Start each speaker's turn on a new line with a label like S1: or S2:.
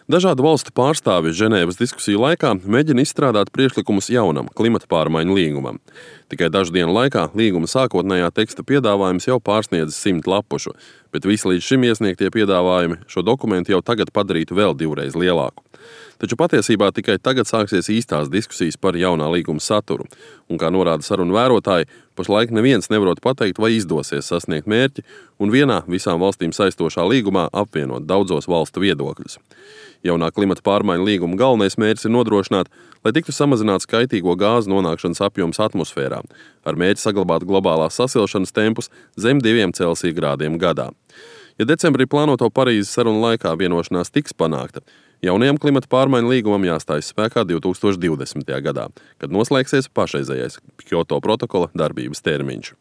S1: Dažādu valstu pārstāvji Ženēvas diskusiju laikā mēģina izstrādāt priekšlikumus jaunam klimata pārmaiņu līgumam. Tikai dažu dienu laikā līguma sākotnējā teksta piedāvājums jau pārsniedz 100 lapušu, bet visi līdz šim iesniegtie piedāvājumi šo dokumentu jau tagad padarītu vēl divreiz lielāku. Taču patiesībā tikai tagad sāksies īstās diskusijas par jaunā līguma saturu, un, kā norāda sarunu vērotāji, pašlaik neviens nevarot pateikt, vai izdosies sasniegt mērķi un vienā visām valstīm saistošā līgumā apvienot daudzos valstu viedokļus. Jaunā klimata pārmaiņu līguma galvenais mērķis ir nodrošināt, lai tiktu samazināts kaitīgo gāzu nonākšanas apjoms atmosfērā, ar mērķi saglabāt globālās sasilšanas tempus zem 2 Celsija grādiem gadā. Ja decembrī plānoto Parīzes sarunu laikā vienošanās tiks panākta, jaunajam klimata pārmaiņu līgumam jāstājas spēkā 2020. gadā, kad noslēgsies pašreizējais Kjoto protokola darbības termiņš.